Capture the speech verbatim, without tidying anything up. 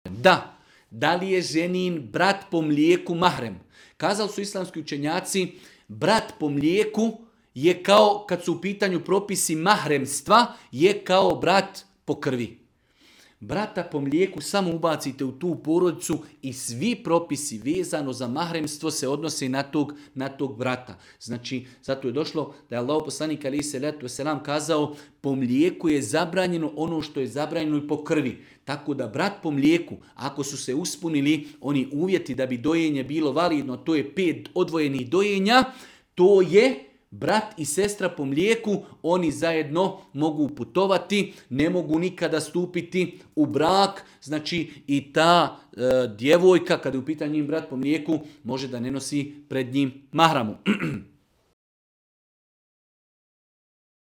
Da, da li je ženin brat po mlijeku mahrem? Kazali su islamski učenjaci, brat po mlijeku je kao, kad su u pitanju propisi mahremstva, je kao brat po krvi. Brata po mlijeku samo ubacite u tu porodicu i svi propisi vezano za mahremstvo se odnose na tog, na tog brata. Znači, zato je došlo da je Allahov poslanik alejhi selatu vesselam kazao, po mlijeku je zabranjeno ono što je zabranjeno i po krvi. Tako da brat po mlijeku, ako su se uspunili oni uvjeti da bi dojenje bilo validno, to je pet odvojenih dojenja, to je brat i sestra po mlijeku, oni zajedno mogu putovati, ne mogu nikada stupiti u brak, znači i ta e, djevojka, kada je u pitanju njim brat po mlijeku, može da ne nosi pred njim mahramu.